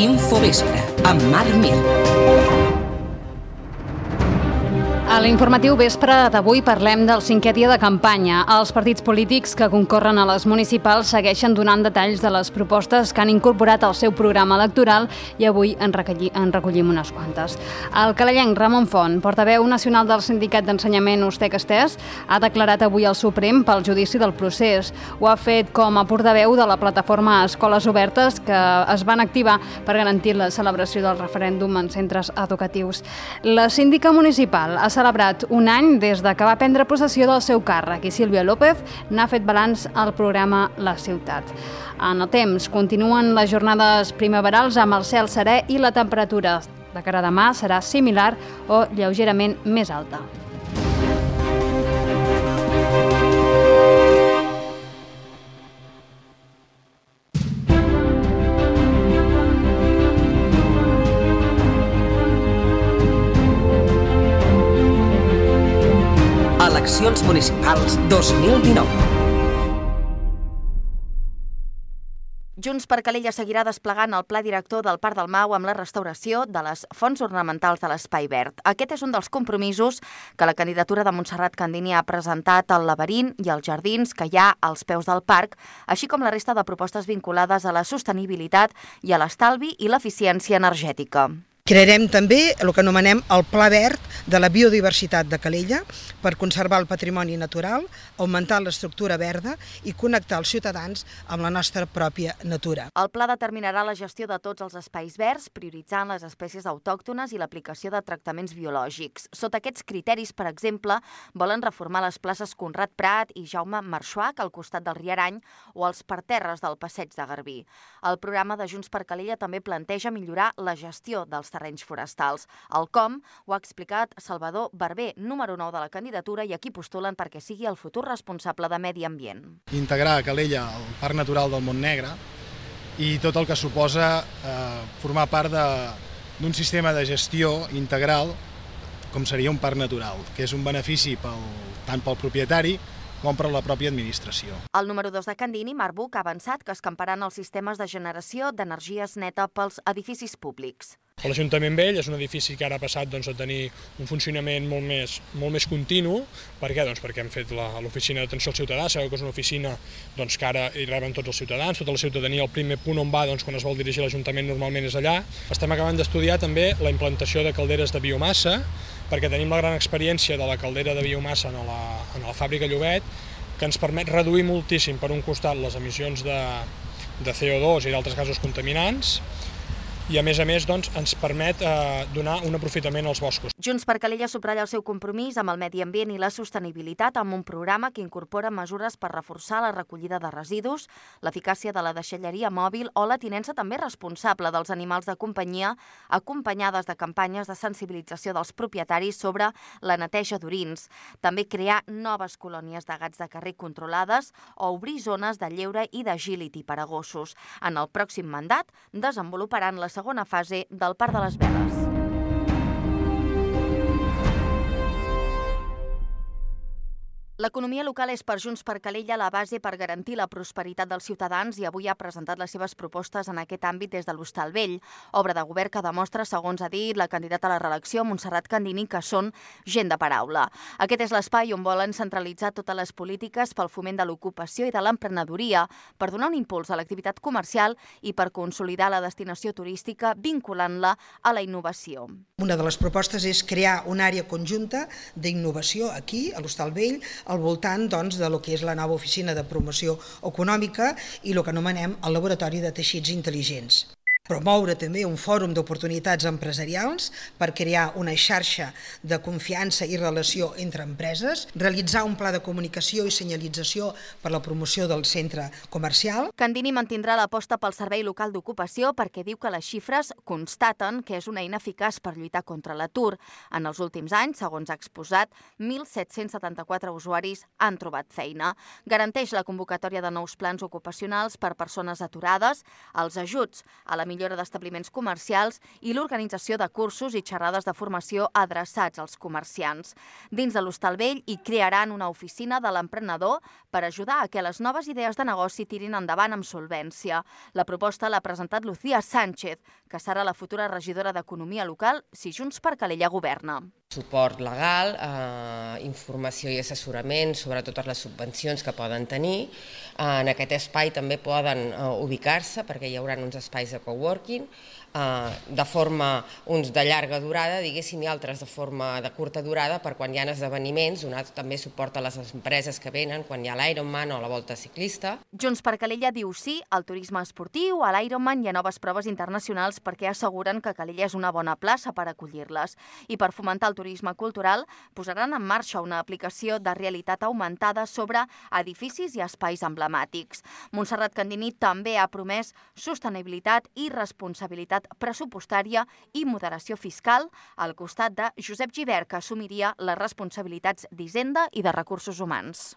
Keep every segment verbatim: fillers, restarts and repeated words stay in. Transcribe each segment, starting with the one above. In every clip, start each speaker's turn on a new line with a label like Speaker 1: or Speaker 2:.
Speaker 1: Infovespre, amb Marc Mir.
Speaker 2: A l'informatiu vespre d'avui parlem del cinquè dia de campanya. Els partits polítics que concorren a les municipals segueixen donant detalls de les propostes que han incorporat al seu programa electoral i avui en recollim unes quantes. El calellenc Ramon Font, portaveu nacional del Sindicat d'Ensenyament Ustec-Estès, ha declarat avui al Suprem pel judici del procés. Ho ha fet com a portaveu de la plataforma Escoles Obertes que es van activar per garantir la celebració del referèndum en centres educatius. La síndica municipal ha celebrat un any des de que va prendre possessió del seu càrrec i Sílvia López n'ha fet balanç al programa La Ciutat. En el temps, continuen les jornades primaverals amb el cel serè i la temperatura de cara a demà serà similar o lleugerament més alta.
Speaker 1: Eleccions municipals dos mil dinou.
Speaker 3: Junts per Calella seguirà desplegant el pla director del Parc del Mau amb la restauració de les fonts ornamentals de l'Espai Verd. Aquest és un dels compromisos que la candidatura de Montserrat Candini ha presentat al laberint i als jardins que hi ha als peus del parc, així com la resta de propostes vinculades a la sostenibilitat i a l'estalvi i l'eficiència energètica.
Speaker 4: Crearem també el que anomenem el Pla Verd de la biodiversitat de Calella per conservar el patrimoni natural, augmentar l'estructura verda i connectar els ciutadans amb la nostra pròpia natura.
Speaker 3: El pla determinarà la gestió de tots els espais verds, prioritzant les espècies autòctones i l'aplicació de tractaments biològics. Sota aquests criteris, per exemple, volen reformar les places Conrad Prat i Jaume Marxuach al costat del Riarany o els parterres del Passeig de Garbí. El programa de Junts per Calella també planteja millorar la gestió dels terrenys forestals. El com ho ha explicat Salvador Barber, número nou de la candidatura i a qui postulen perquè sigui el futur responsable de Medi Ambient.
Speaker 5: Integrar a Calella el Parc Natural del Montnegre i tot el que suposa eh, formar part d'un sistema de gestió integral com seria un parc natural, que és un benefici pel, tant pel propietari com per la pròpia administració.
Speaker 3: El número dos de Candini, Marc Buch, ha avançat que escamparan els sistemes de generació d'energies neta pels edificis públics.
Speaker 6: L'Ajuntament Vell és un edifici que ara ha passat doncs, a tenir un funcionament molt més, molt més continu. Per què? Doncs perquè hem fet l'oficina d'atenció al ciutadà, sabeu que és una oficina doncs, que ara hi reben tots els ciutadans, tota la ciutadania, el primer punt on va doncs, quan es vol dirigir l'Ajuntament normalment és allà. Estem acabant d'estudiar també la implantació de calderes de biomassa, perquè tenim la gran experiència de la caldera de biomassa en la, en la fàbrica Llobet, que ens permet reduir moltíssim per un costat les emissions de, de C O dos i d'altres gasos contaminants, i a més a més doncs, ens permet eh, donar un aprofitament als boscos.
Speaker 3: Junts per Calella subratlla el seu compromís amb el medi ambient i la sostenibilitat amb un programa que incorpora mesures per reforçar la recollida de residus, l'eficàcia de la deixalleria mòbil o la tinença també responsable dels animals de companyia, acompanyades de campanyes de sensibilització dels propietaris sobre la neteja d'orins. També crear noves colònies de gats de carrer controlades o obrir zones de lleure i d'agility per a gossos. En el pròxim mandat desenvoluparan la segona fase del Parc de les Veles. L'economia local és per Junts per Calella la base per garantir la prosperitat dels ciutadans i avui ha presentat les seves propostes en aquest àmbit des de l'Hostal Vell, obra de govern que demostra, segons ha dit la candidata a la reelecció, Montserrat Candini, que són gent de paraula. Aquest és l'espai on volen centralitzar totes les polítiques pel foment de l'ocupació i de l'emprenedoria, per donar un impuls a l'activitat comercial i per consolidar la destinació turística vinculant-la a la innovació.
Speaker 4: Una de les propostes és crear una àrea conjunta d'innovació aquí, a l'Hostal Vell, al voltant doncs, de lo que és la nova oficina de promoció econòmica i el que anomenem el laboratori de teixits intel·ligents. Promoure també un fòrum d'oportunitats empresarials per crear una xarxa de confiança i relació entre empreses, realitzar un pla de comunicació i senyalització per la promoció del centre comercial.
Speaker 3: Candini mantindrà l'aposta pel servei local d'ocupació perquè diu que les xifres constaten que és una eina eficaç per lluitar contra l'atur. En els últims anys, segons ha exposat, mil set-cents setanta-quatre usuaris han trobat feina. Garanteix la convocatòria de nous plans ocupacionals per persones aturades, els ajuts a la millora millora d'establiments comercials i l'organització de cursos i xerrades de formació adreçats als comerciants. Dins de l'Hostal Vell hi crearan una oficina de l'emprenedor per ajudar a que les noves idees de negoci tirin endavant amb solvència. La proposta l'ha presentat Lucía Sánchez, que serà la futura regidora d'Economia Local si Junts per Calella governa.
Speaker 7: Suport legal, eh, informació i assessorament sobre totes les subvencions que poden tenir. En aquest espai també poden eh, ubicar-se perquè hi haurà uns espais de coworking, eh, de forma uns de llarga durada, diguéssim, i altres de forma de curta durada per quan hi ha esdeveniments, donar també suport a les empreses que venen, quan hi ha l'Ironman o la Volta Ciclista.
Speaker 3: Junts per Calella diu sí al turisme esportiu, a l'Ironman i a noves proves internacionals perquè asseguren que Calella és una bona plaça per acollir-les. I per fomentar el turisme cultural posaran en marxa una aplicació de realitat augmentada sobre edificis i espais emblemàtics. Montserrat Candini també ha promès sostenibilitat i responsabilitat pressupostària i moderació fiscal al costat de Josep Gibert, que assumiria les responsabilitats d'Hisenda i de Recursos Humans.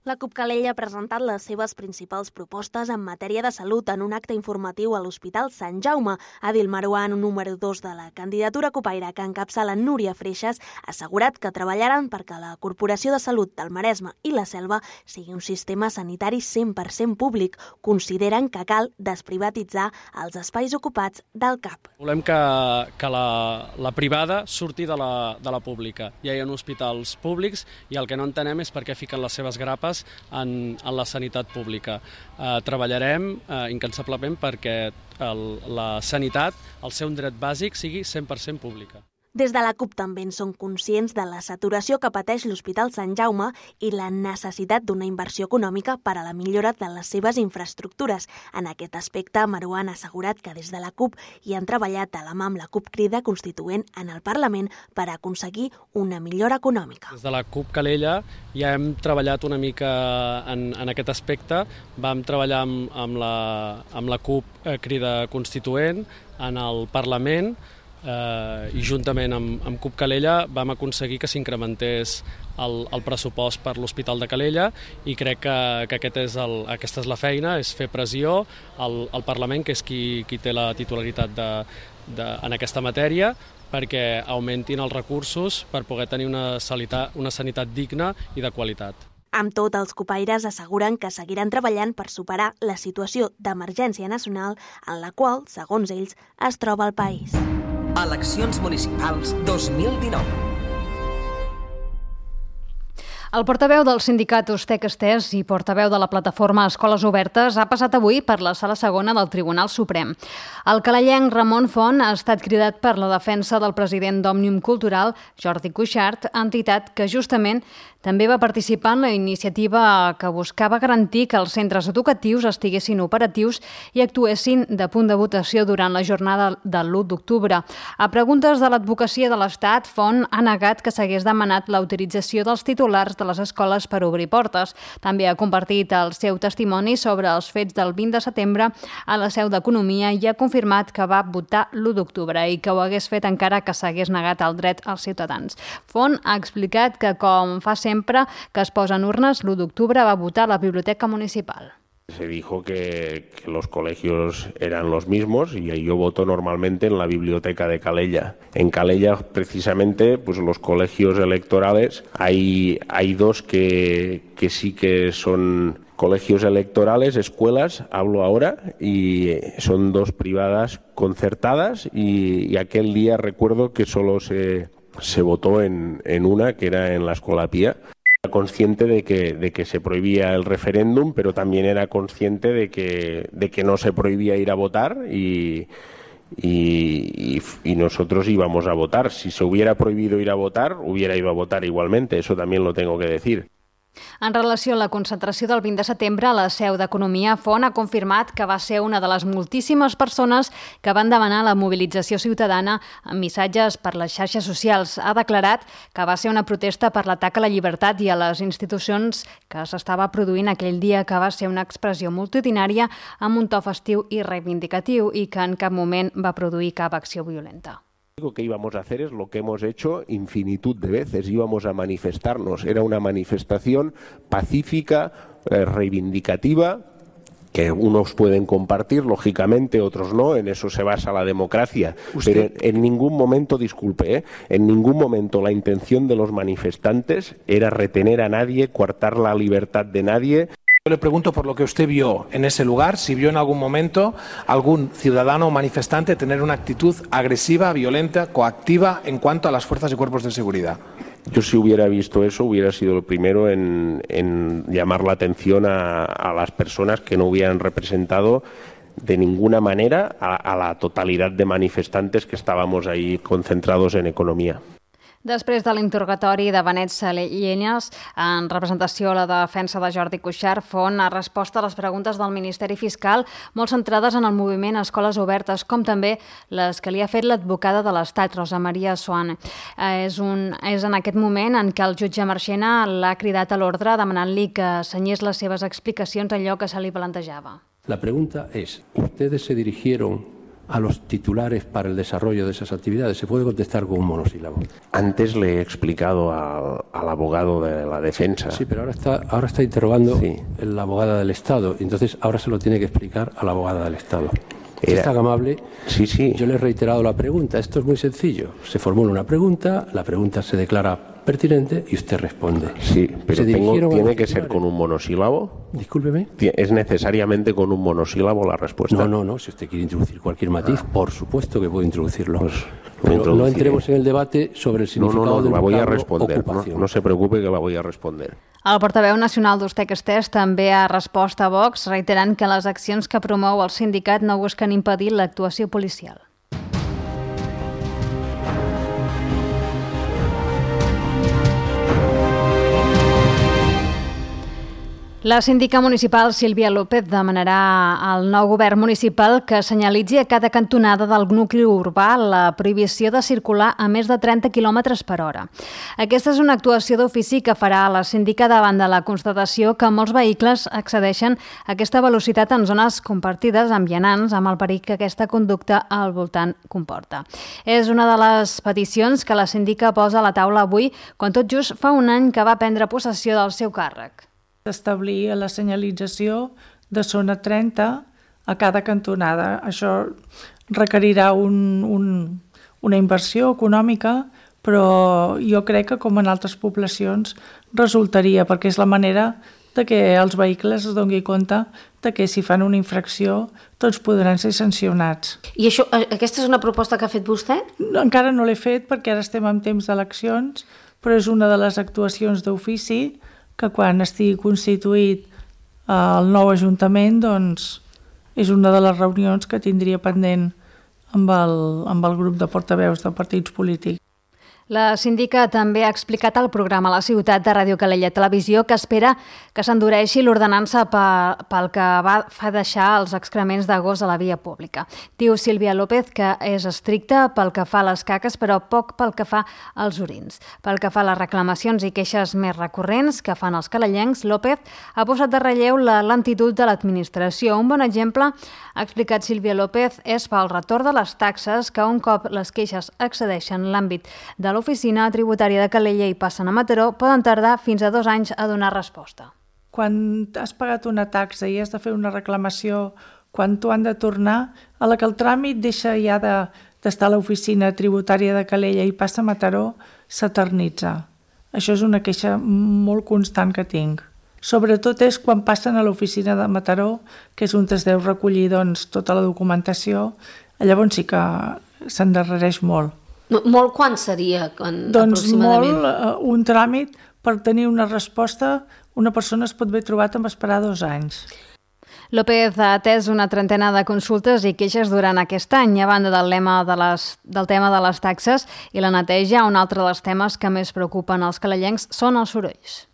Speaker 8: La CUP Calella ha presentat les seves principals propostes en matèria de salut en un acte informatiu a l'Hospital Sant Jaume. Adil Marouan, número dos de la candidatura copaire que encapçala Núria Freixas, ha assegurat que treballaran perquè la Corporació de Salut del Maresme i la Selva sigui un sistema sanitari cent per cent públic. Consideren que cal desprivatitzar els espais ocupats del C A P.
Speaker 9: Volem que, que la, la privada surti de la, de la pública. Ja hi ha hospitals públics i el que no entenem és per què fiquen les seves grapes En, en la sanitat pública. Eh, treballarem eh, incansablement perquè el, la sanitat, el seu dret bàsic, sigui cent per cent pública.
Speaker 8: Des de la CUP també en són conscients de la saturació que pateix l'Hospital Sant Jaume i la necessitat d'una inversió econòmica per a la millora de les seves infraestructures. En aquest aspecte, Marouan ha assegurat que des de la CUP hi han treballat de la mà amb la CUP Crida Constituent en el Parlament per aconseguir una millora econòmica.
Speaker 9: Des de la CUP Calella ja hem treballat una mica en, en aquest aspecte. Vam treballar amb, amb, la, amb la CUP Crida Constituent en el Parlament, Uh, i juntament amb, amb CUP Calella vam aconseguir que s'incrementés el, el pressupost per l'Hospital de Calella i crec que, que aquest és el, aquesta és la feina, és fer pressió al, al Parlament, que és qui, qui té la titularitat de, de, en aquesta matèria, perquè augmentin els recursos per poder tenir una sanitat, una sanitat digna i de qualitat.
Speaker 8: Amb tot, els copaires asseguren que seguiran treballant per superar la situació d'emergència nacional en la qual, segons ells, es troba el país.
Speaker 1: Eleccions municipals dos mil dinou.
Speaker 2: El portaveu del sindicat Ustec Estès i portaveu de la plataforma Escoles Obertes ha passat avui per la sala segona del Tribunal Suprem. El calellenc Ramon Font ha estat cridat per la defensa del president d'Òmnium Cultural, Jordi Cuixart, entitat que justament també va participar en la iniciativa que buscava garantir que els centres educatius estiguessin operatius i actuessin de punt de votació durant la jornada del l'u d'octubre. A preguntes de l'advocacia de l'Estat, Font ha negat que s'hagués demanat l'autorització dels titulars de les escoles per obrir portes. També ha compartit el seu testimoni sobre els fets del vint de setembre a la seu d'Economia i ha confirmat que va votar l'u d'octubre i que ho hagués fet encara que s'hagués negat el dret als ciutadans. Font ha explicat que, com fa sempre que es posen urnes, l'u d'octubre va votar a la Biblioteca Municipal.
Speaker 10: Se dijo que, que los colegios eran los mismos y yo voto normalmente en la biblioteca de Calella. En Calella, precisamente, pues los colegios electorales, hay, hay dos que, que sí que son colegios electorales, escuelas, hablo ahora, y son dos privadas concertadas y, y aquel día recuerdo que solo se, se votó en, en una, que era en la Escola Pía. Consciente de que, de que se prohibía el referéndum, pero también era consciente de que, de que no se prohibía ir a votar y, y, y, y nosotros íbamos a votar. Si se hubiera prohibido ir a votar, hubiera ido a votar igualmente, eso también lo tengo que decir.
Speaker 2: En relació a la concentració del vint de setembre a la seu d'Economia, Font ha confirmat que va ser una de les moltíssimes persones que van demanar la mobilització ciutadana amb missatges per les xarxes socials. Ha declarat que va ser una protesta per l'atac a la llibertat i a les institucions que s'estava produint aquell dia, que va ser una expressió multitudinària amb un to festiu i reivindicatiu i que en cap moment va produir cap acció violenta.
Speaker 10: Lo que íbamos a hacer es lo que hemos hecho infinitud de veces, íbamos a manifestarnos. Era una manifestación pacífica, eh, reivindicativa, que unos pueden compartir, lógicamente, otros no, en eso se basa la democracia. Usted... Pero en, en ningún momento, disculpe, ¿eh? en ningún momento la intención de los manifestantes era retener a nadie, coartar la libertad de nadie.
Speaker 11: Yo le pregunto por lo que usted vio en ese lugar, si vio en algún momento algún ciudadano o manifestante tener una actitud agresiva, violenta, coactiva en cuanto a las fuerzas y cuerpos de seguridad.
Speaker 10: Yo si hubiera visto eso hubiera sido el primero en, en llamar la atención a, a las personas que no hubieran representado de ninguna manera a, a la totalidad de manifestantes que estábamos ahí concentrados en economía.
Speaker 2: Després de l'interrogatori de Benet Salellas, en representació a la defensa de Jordi Cuixart, Font ha respost a les preguntes del Ministeri Fiscal molt centrades en el moviment Escoles Obertes, com també les que li ha fet l'advocada de l'Estat, Rosa Maria Soane. És, un, és en aquest moment en què el jutge Marchena l'ha cridat a l'ordre demanant-li que senyés les seves explicacions a allò que se li plantejava.
Speaker 12: La pregunta es, ¿ustedes se dirigieron a los titulares para el desarrollo de esas actividades? Se puede contestar con un monosílabo.
Speaker 10: Antes le he explicado al, al abogado de la defensa.
Speaker 12: Sí, pero ahora está, ahora está interrogando sí. la abogada del Estado, entonces ahora se lo tiene que explicar a la abogada del Estado. Si es tan amable,
Speaker 10: sí, sí.
Speaker 12: yo le he reiterado la pregunta. Esto es muy sencillo. Se formula una pregunta, la pregunta se declara pertinente y usted responde.
Speaker 10: Sí, pero tengo, tiene que ser con un monosílabo.
Speaker 12: Discúlpeme.
Speaker 10: ¿Es necesariamente con un monosílabo la respuesta?
Speaker 12: No, no, no. Si usted quiere introducir cualquier matiz, ah. por supuesto que puede introducirlo. Pues pero no entremos en el debate sobre el significado
Speaker 10: no, no, no,
Speaker 12: del
Speaker 10: la voy a
Speaker 12: vocablo
Speaker 10: responder. No, no se preocupe que la voy a responder.
Speaker 2: El portaveu nacional d'Ustec Estès també ha respost a Vox, reiterant que les accions que promou el sindicat no busquen impedir l'actuació policial. La síndica municipal Sílvia López demanarà al nou govern municipal que senyalitzi a cada cantonada del nucli urbà la prohibició de circular a més de trenta quilòmetres per hora. Aquesta és una actuació d'ofici que farà la síndica davant de la constatació que molts vehicles accedeixen a aquesta velocitat en zones compartides amb vianants, amb el perill que aquesta conducta al voltant comporta. És una de les peticions que la síndica posa a la taula avui, quan tot just fa un any que va prendre possessió del seu càrrec.
Speaker 13: Establir la senyalització de zona trenta a cada cantonada. Això requerirà un, un, una inversió econòmica, però jo crec que com en altres poblacions resultaria, perquè és la manera de que els vehicles es doni compte de que si fan una infracció tots podran ser sancionats.
Speaker 14: I això, aquesta és una proposta que ha fet vostè?
Speaker 13: Encara no l'he fet perquè ara estem en temps d'eleccions, però és una de les actuacions d'ofici que quan estigui constituït el nou Ajuntament, doncs és una de les reunions que tindria pendent amb el, amb el grup de portaveus de partits polítics.
Speaker 2: La síndica també ha explicat al programa La Ciutat de Ràdio Calella Televisió que espera que s'endureixi l'ordenança pel que va fa deixar els excrements de gos a la via pública. Diu Sílvia López que és estricta pel que fa a les caques, però poc pel que fa als orins. Pel que fa a les reclamacions i queixes més recurrents que fan els calellencs, López ha posat de relleu la lentitud de l'administració. Un bon exemple, ha explicat Sílvia López, és pel retorn de les taxes que un cop les queixes accedeixen a l'àmbit de l'oficina tributària de Calella i passen a Mataró, poden tardar fins a dos anys a donar resposta.
Speaker 13: Quan has pagat una taxa i has de fer una reclamació, quan t'ho han de tornar, a la que el tràmit deixa ja de, d'estar a l'oficina tributària de Calella i passa a Mataró, s'eternitza. Això és una queixa molt constant que tinc. Sobretot és quan passen a l'oficina de Mataró, que és on es deu recollir doncs, tota la documentació, llavors sí que s'endarrereix molt.
Speaker 14: Molt quan seria? Quan,
Speaker 13: doncs molt, uh, un tràmit per tenir una resposta, una persona es pot haver trobat amb esperar dos anys.
Speaker 2: López ha atès una trentena de consultes i queixes durant aquest any, a banda del, lema de les, del tema de les taxes i la neteja. Un altre dels temes que més preocupen els calellencs són els sorolls.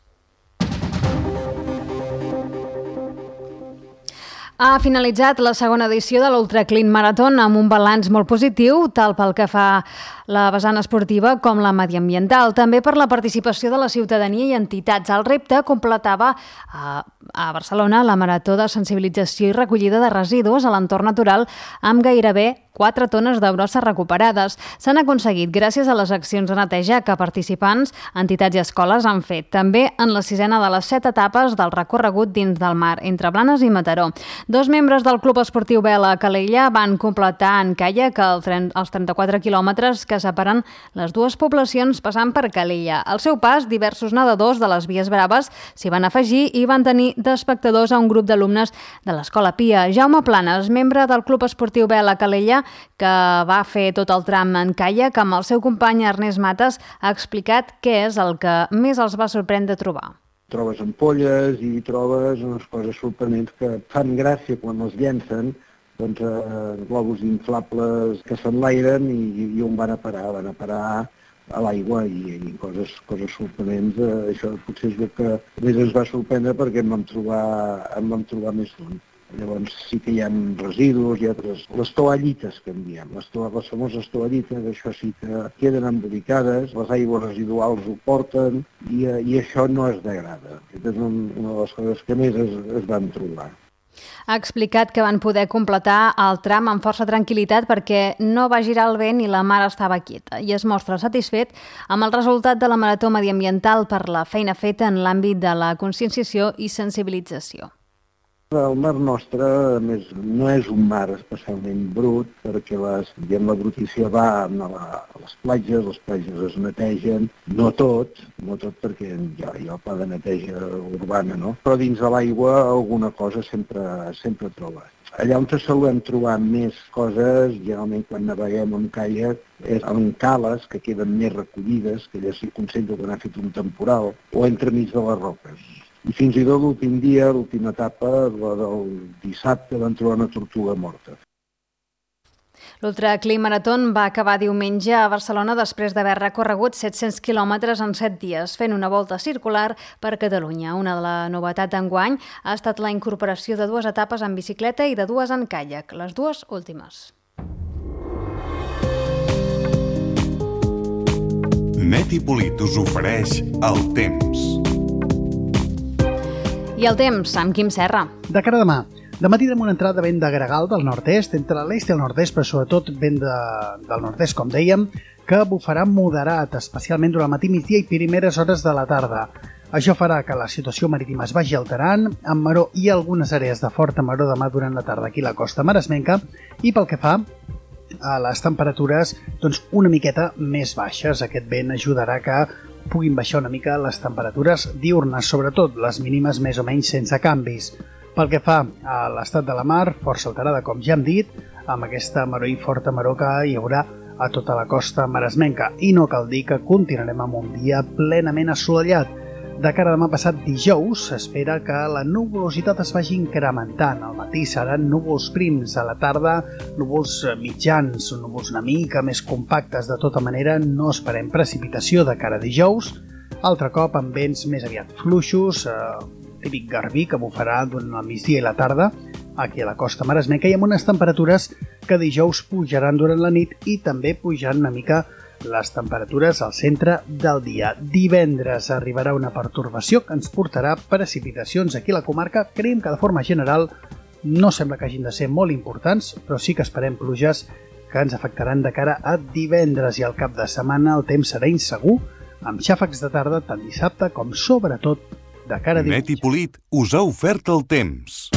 Speaker 2: Ha finalitzat la segona edició de l'Ultra Clean Marathon amb un balanç molt positiu, tal pel que fa la vessant esportiva com la mediambiental, també per la participació de la ciutadania i entitats. El repte completava a, a Barcelona la marató de sensibilització i recollida de residus a l'entorn natural amb gairebé quatre tones de brossa recuperades. S'han aconseguit gràcies a les accions de neteja que participants, entitats i escoles han fet, també en la sisena de les set etapes del recorregut dins del mar, entre Blanes i Mataró. Dos membres del Club Esportiu Vela a Calella van completar en caiac els trenta-quatre quilòmetres que separen les dues poblacions passant per Calella. Al seu pas, diversos nedadors de les Vies Braves s'hi van afegir i van tenir d'espectadors a un grup d'alumnes de l'Escola Pia. Jaume Planes, membre del Club Esportiu Vela a Calella, que va fer tot el tram en caiac amb el seu company Ernest Mates, ha explicat què és el que més els va sorprendre trobar.
Speaker 15: Trobes ampolles i trobes unes coses sorprenents que fan gràcia quan els llencen, doncs eh, globus inflables que s'enlairen i, i on van a parar? Van a parar a l'aigua i, i coses, coses sorprenents. Eh, això potser és el que més ens va sorprendre perquè em vam trobar, em vam trobar més d'un. Llavors sí que hi ha residus, hi ha les, les toallites que en diem, les, to, les famoses toallites, això sí que queden embolicades, les aigües residuals ho porten i, i això no es degrada. Aquesta és una de les coses que més es, es van trobar.
Speaker 2: Ha explicat que van poder completar el tram amb força tranquil·litat perquè no va girar el vent i la mar estava quieta, i es mostra satisfet amb el resultat de la marató mediambiental per la feina feta en l'àmbit de la conscienciació i sensibilització.
Speaker 15: El mar nostre, a més, no és un mar especialment brut, perquè les, diguem, la brutícia va a, la, a les platges, les platges es netegen, no tot, no tot perquè hi ha, hi ha el pla de neteja urbana, no? Però dins de l'aigua alguna cosa sempre, sempre trobes. Allà on se solem trobar més coses, generalment quan naveguem amb caiac, és en cales que queden més recollides, que allà s'hi concentra quan ha fet un temporal, o entremig de les roques. I fins i tot l'últim dia, l'última etapa, la del dissabte, van trobar una tortuga morta.
Speaker 2: L'Ultra Clean Marathon va acabar diumenge a Barcelona després d'haver recorregut set-cents quilòmetres en set dies, fent una volta circular per Catalunya. Una de la novetat d'enguany ha estat la incorporació de dues etapes en bicicleta i de dues en caiac, les dues últimes.
Speaker 16: Net i Polit us ofereix el temps.
Speaker 2: I el temps, amb Quim Serra.
Speaker 17: De cara a demà. Dematí tenim una entrada vent de gregal del nord-est, entre l'est i el nord-est, però sobretot vent de, del nord-est, com dèiem, que bufarà moderat, especialment durant el matí, migdia i primeres hores de la tarda. Això farà que la situació marítima es vagi alterant, amb maró i algunes àrees de forta maró demà durant la tarda aquí a la costa maresmenca, i pel que fa a les temperatures, doncs una miqueta més baixes. Aquest vent ajudarà que puguin baixar una mica les temperatures diurnes, sobretot les mínimes més o menys sense canvis. Pel que fa a l'estat de la mar, força alterada, com ja hem dit, amb aquesta maró i forta maró que hi haurà a tota la costa maresmenca. I no cal dir que continuarem amb un dia plenament assolellat. De cara a demà passat dijous, s'espera que la nuvolositat es vagi incrementant. Al matí seran núvols prims, a la tarda núvols mitjans, núvols una mica més compactes. De tota manera, no esperem precipitació de cara a dijous. Altre cop amb vents més aviat fluixos, eh, típic garbí que bufarà durant el migdia i la tarda, aquí a la costa maresmenca, i amb unes temperatures que dijous pujaran durant la nit i també pujaran una mica les temperatures al centre del dia. Divendres arribarà una pertorbació que ens portarà precipitacions aquí a la comarca. Creiem que de forma general no sembla que hagin de ser molt importants, però sí que esperem pluges que ens afectaran de cara a divendres, i al cap de setmana el temps serà insegur, amb xàfecs de tarda tant dissabte com sobretot de cara a diumenge.
Speaker 16: Net i Polit us ha ofert el temps.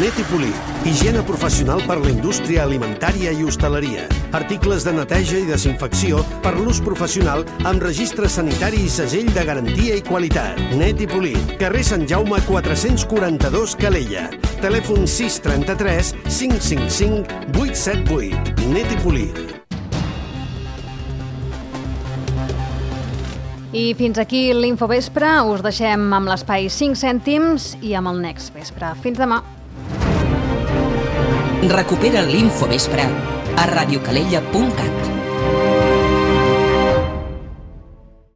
Speaker 18: Net i Polit, higiene professional per la indústria alimentària i hostaleria. Articles de neteja i desinfecció per l'ús professional amb registre sanitari i segell de garantia i qualitat. Net i Polit, carrer Sant Jaume quatre-cents quaranta-dos, Calella. Telèfon sis trenta-tres cinc cinc cinc vuit set vuit. Net i Polit.
Speaker 2: I fins aquí l'Infovespre. Us deixem amb l'espai cinc cèntims i amb el Next Vespre. Fins demà.
Speaker 1: Recupera l'Infovespre a radiocalella punt cat.